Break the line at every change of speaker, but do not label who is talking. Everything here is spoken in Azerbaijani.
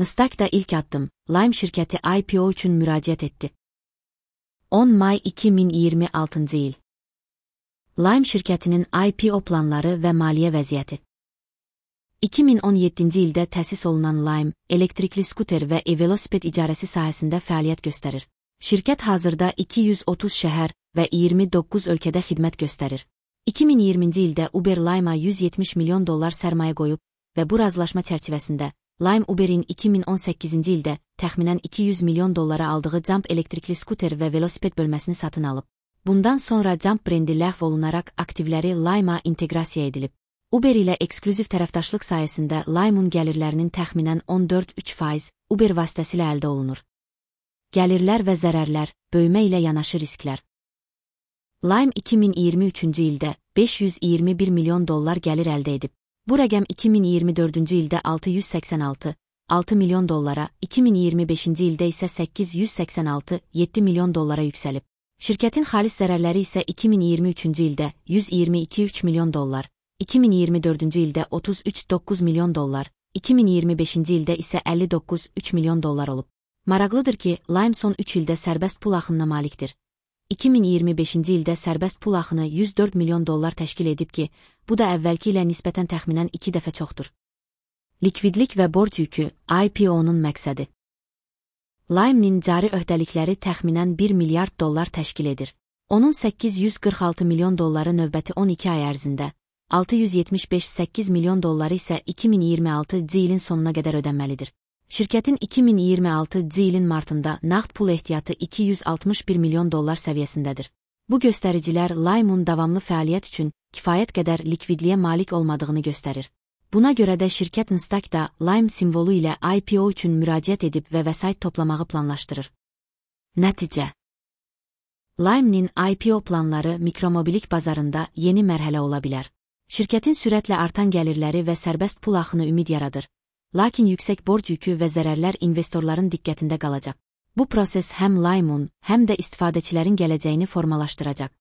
Nasdaq'da ilk addım, Lime şirketi IPO için müracaat etti. 10 May 2026 yıl. Lime şirketinin IPO planları ve maliye vəziyyəti. 2017 ildə təsis olunan Lime, elektrikli skuter və velosiped icarəsi sahəsində fəaliyyət göstərir. Şirkət hazırda 230 şəhər və 29 ölkədə xidmət göstərir. 2020-ci ildə Uber Lime'a $170 milyon sərmayə qoyub və bu razılaşma çərçivəsində Lime Uber'in 2018-ci ildə təxminən $200 milyon aldığı Jump elektrikli skuter və velosiped bölməsini satın alıb. Bundan sonra Jump brendi ləğv olunaraq aktivləri Lime'a inteqrasiya edilib. Uber ilə eksklüziv tərəfdaşlıq sayəsində Lime'un gəlirlərinin təxminən 14,3% Uber vasitəsilə əldə olunur. Gəlirlər və zərərlər, böyümə ilə yanaşı risklər. Lime 2023-cü ildə $521 milyon gəlir əldə edib. Bu rəqəm 2024-cü ildə $686 milyon, 2025-ci ildə isə $886 milyon yüksəlib. Şirkətin xalis zərərləri isə 2023-cü ildə $122,3 milyon, 2024-cü ildə $33,9 milyon, 2025-ci ildə isə $59,3 milyon olub. Maraqlıdır ki, Lime son 3 ildə sərbəst pul axınına malikdir. 2025-ci ildə sərbəst pul axını $104 milyon təşkil edib ki, bu da əvvəlki ilə nisbətən təxminən 2 dəfə çoxdur. Likvidlik və borc yükü IPO-nun məqsədi. Lime'nin cari öhdəlikləri təxminən $1 milyard təşkil edir. Onun $846 milyon növbəti 12 ay ərzində, $675,8 milyon isə 2026-cı ilin sonuna qədər ödənməlidir. Şirkətin 2026-cı ilin martında nağd pul ehtiyatı $261 milyon səviyyəsindədir. Bu göstəricilər Lime'un davamlı fəaliyyət üçün kifayət qədər likvidliyə malik olmadığını göstərir. Buna görə də şirkət Nasdaq'da Lime simvolu ilə IPO üçün müraciət edib və vəsait toplamağı planlaşdırır. Nəticə: Lime'nin IPO planları mikromobilik bazarında yeni mərhələ ola bilər. Şirkətin sürətlə artan gəlirləri və sərbəst pul axını ümid yaradır. Lakin yüksək borc yükü və zərərlər investorların diqqətində qalacaq. Bu proses həm Lime'un, həm də istifadəçilərin gələcəyini formalaşdıracaq.